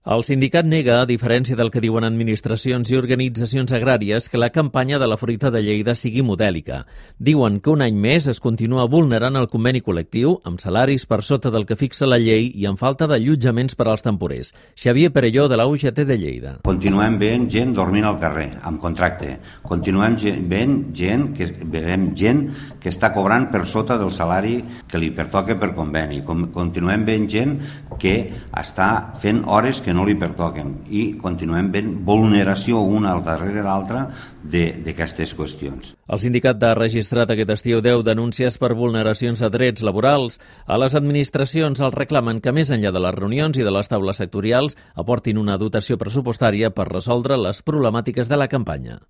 El sindicat nega, a diferència del que diuen administracions i organitzacions agràries, que la campanya de la fruita de Lleida sigui modèlica. Diuen que un any més es continua vulnerant el conveni col·lectiu, amb salaris per sota del que fixa la llei i amb falta d'allotjaments per als temporers. Xavier Perelló, de la UGT de Lleida. Continuem veient gent dormint al carrer, amb contracte. Continuem veient gent que està cobrant per sota del salari que li pertoca per conveni. Continuem veient gent que està fent hores que no li pertoquen i continuem veient vulneració una al darrere l'altra d'aquestes qüestions. El sindicat ha registrat aquest estiu 10 denúncies per vulneracions de drets laborals. A les administracions els reclamen que més enllà de les reunions i de les taules sectorials aportin una dotació pressupostària per resoldre les problemàtiques de la campanya.